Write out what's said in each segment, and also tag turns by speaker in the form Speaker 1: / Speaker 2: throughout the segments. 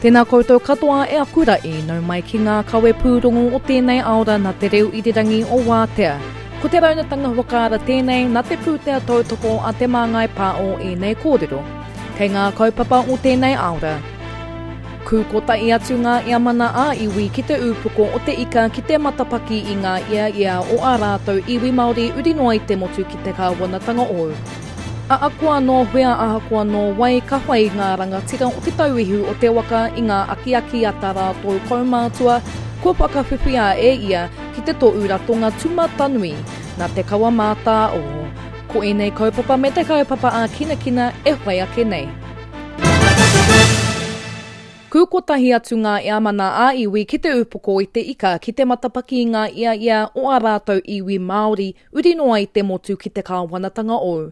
Speaker 1: Tēnā koutou katoa e aku ra'i, nau mai ki ngā kawe pūrongo o tēnei aora nā te reo irirangi o Wātea. Ko te raunatanga whakaara tēnei nā te pūtea tautoko a Te Māngai Pāo ēnei kōrero. Kei ngā kaupapa o tēnei aora. Kū kotahi atu ngā iamana ā-iwi ki te ūpoko o te ika ki te matapaki i ngā ia ia o ā rātou iwi Māori uri noa i te motu ki te kāwanatanga ou. Ahakoa nō whea ahakoa nō wai ka whai ngā rangatira o Te Tauihu o te Waka i ngā akiaki a tā rātou kaumātua kua whakawhiwhia e ia ki te tohu ratonga tūmatanui nā Te Kawa Mātāoho. Ko ēnei kaupapa me te kaupapa ā-kinakina e whai ake nei. Kū kotahi atu ngā eamana ā-iwi ki te ūpoko i te ika ki te matapaki i ngā ia ia o ā rātou iwi Māori uri noa i te motu ki te kāwanatanga ou.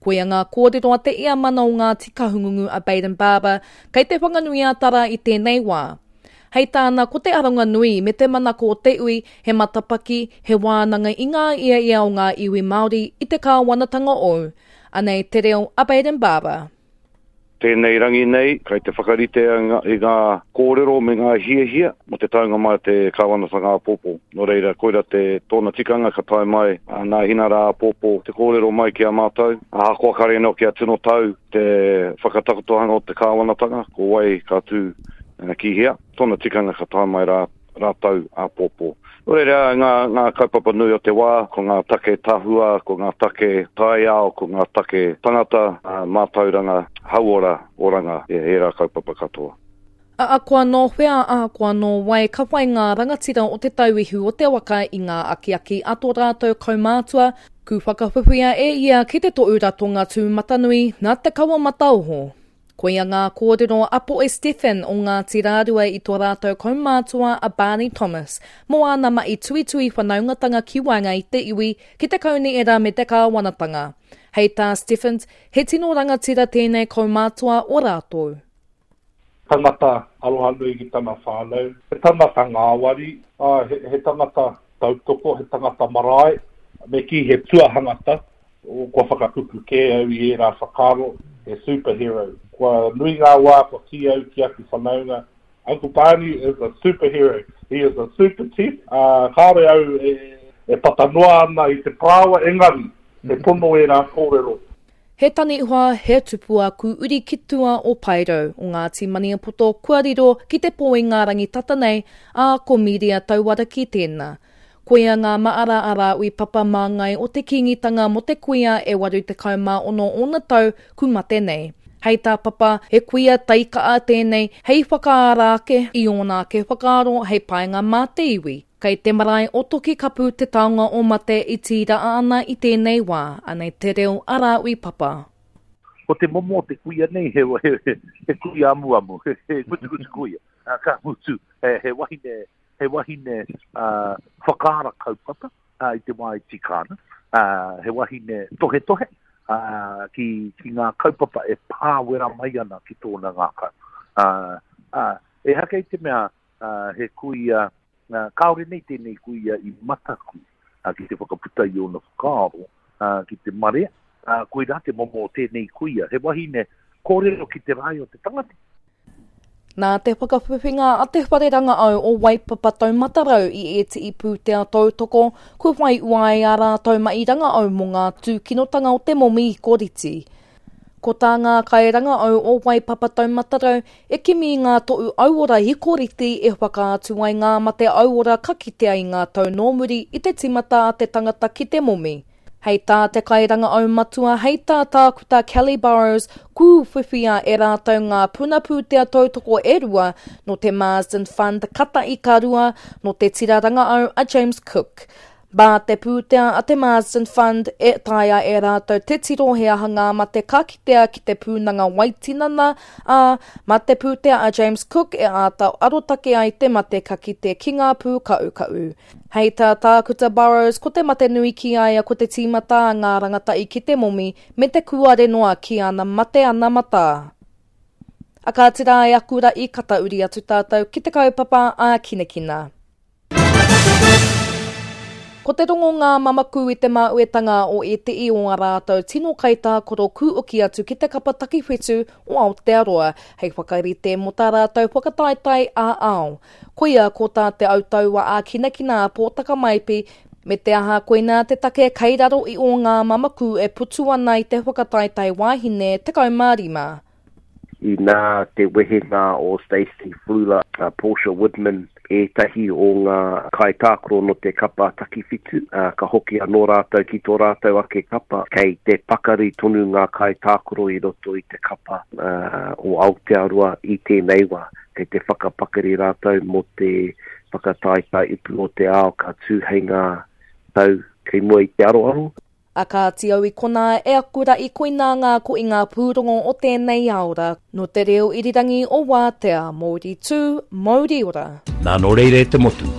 Speaker 1: Koia ngā kōrero a te eamana o Ngāti Kahungungu a Bayden Barber kei Te Whanganui-a-Tara i tēnei wā. Hei tāna ko te aronga nui me te manako o te ui he matapaki, he wānanga i ngā ia ia o ngā iwi Māori i te kāwanatanga ou. Anei te reo a Bayden Barber.
Speaker 2: Tēnei rangi nei, kei te whakarite i ngā kōrero me ngā hiahia mō te taunga mai o te kāwanatanga āpōpō. Nō reira, koira te tōna tikanga ka tae mai nā Hina rā āpōpō te kōrero mai ki a mātou. Ahakoa kare anō kia tino tau te whakatakotohanga o te kāwanatanga, ko wai ka tū ki hea, tōna tikanga ka tae mai rā rātou āpōpō. Nō reira, ngā, ngā kaupapa nui o te wā, ko ngā take tahua, ko ngā take taiao, ko ngā take tangata, mātauranga, hauora, oranga, ērā kaupapa katoa.
Speaker 1: Ahakoa nō whea, ahakoa nō wai, ka whai ngā rangatira o Te Tauihu o te Waka i ngā akiaki a tō rātou kaumātua, ku whakawhiwhia e ia ki te tohu ratonga tūmatanui nā Te Kawa Mataoho. Koia ngā kōrero a Poe Stephen o Ngāti Rārua i tō rātou kaumātua a Barney Thomas mō āna mahi tuitui whanaungatanga ki waenga i te iwi, ki te kaunihera me te kāwanatanga. Hei tā Stephens, he tino rangatira tēnei kaumātua o rātou.
Speaker 3: Tangata aroha nui ki tana whānau, he tangata ngāwari, ā, he tangata tautoko, he tangata marae, me kī he tuahangata, Kua whakakupu kē au i ērā whakaaro, he superhero. Kua nui ngā wā kua kī au ki aku whanaunga, Uncle Barney is a superhero, he is a super chief, ā, kāore au e tata noa ana i te parāoa, engari, he pono ērā kōrero.
Speaker 1: He taniwha, he tupua ku uri ki tua o Paerau, o Ngāti Maniapoto kua riro ki te pō i ngā rangi tata nei, ā, ko Mīria Tauaraki tēnā. Koia ngā maara a Rāui Papa māngai o te Kīngitanga mō te kuia e 86 ōna tau ku mate nei. Hei tā Papa, he kuia taika'a tēnei hei whakaara ake i ōna ake whakaaro hei painga mā te iwi. Kei te marae o Tokikapu te taonga o mate i tīraa ana i tēnei wā, anei te reo a Rāui Papa.
Speaker 3: Ko te momo o te kuia nei he, he, he kuia amuamu, he, he ngutungutu kuia. Ka mutu, he, he wahine he wahine whakaara kaupapa i te wā e tika ana, he wahine tohetohe ki, ki ngā kaupapa e pāwera mai ana ki tōna ngākau. Ehake i te mea he kuia, kāore nei tēnei kuia i mataku ki te whakaputa i ōna whakaaro ki te marea, koirā te momo o tēnei kuia, he wahine kōrero ki te rae o te tangata.
Speaker 1: Nā te whakawhiwhinga a Te Whare Rangaau o Waipapa Taumata Rau i ētehi pūtea tautoko, kua whai ua ai ā rātou mahi rangaau mō ngā tūkinotanga o te momi ikoriti. Ko tā ngā kairangaau o Waipapa Taumata Rau e kimi i ngā tohu auora ikoriti e whakaatu ai ngā mate auora ka kitea i ngā tau nō muri i te tīmata a te tangata ki te momi. Hei tā te kairangaau matua, hei tā Tākuta Kelly Burrows, ku whiwhia e rātou ngā puna pūtea tautoko e rua nō te Marsden Fund katahi ka rua nō te tira rangaau a James Cook. Mā te pūtea a te Marsden Fund e taea e rātou te tiro he aha ngā mate ka kitea ki te pūnanga waitinana, ā, mā te pūtea a James Cook e āta arotake ai te mate ka kite ki ngā pūkaʻukaʻu. Hei tā Tākuta Burrows, ko te mate nui ki a ia ko te tīmata a ngā rangatahi ki te momi me te kūare noa ki ana mate ana matā. A kāti rā e aku ra'i ka tauri atu tātou ki te kaupapa ā kinakina. Ko te rongo ngā mamaku i te māuetanga o ētehi o ā rātou tino kaitākaro kūoki atu ki te kapa takiwhitu o Aotearoa hei whakarite mō tā rātou whakataetae ā-ao. Koia ko tā te autaua ākinakina a Pōtaka Maipi, me te aha koinā te take kei raro i ō ngā mamaku e putu ana i te whakataetae wāhine 15.
Speaker 4: Inā te wehenga o Stacey Fluhler, a Portia Woodman, ētahi o ngā kaitākaro nō te kapa takiwhitu, ā, ka hoki anō rātou ki tō rātou ake kapa. Kei te pakari tonu ngā kaitākaro i roto i te kapa o Aotearoa i tēnei wā. Kei te whakapakari rātou mō te whakataetae ipu o te ao ka tū hei ngā tau kei mua i te aroaro.
Speaker 1: A kāti au i konā e aku raʻi koinā ngā ko i ngā pūrongo o tēnei aora nō te reo irirangi o Wātea, Mouri tū, Mouri ora.
Speaker 5: Nā nō reira e te motu,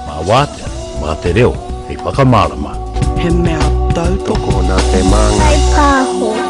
Speaker 5: mā Wātea, mā te reo hei whakamārama.
Speaker 6: He mea tautoko.
Speaker 4: Tokona te māngai.
Speaker 7: Whai pāho.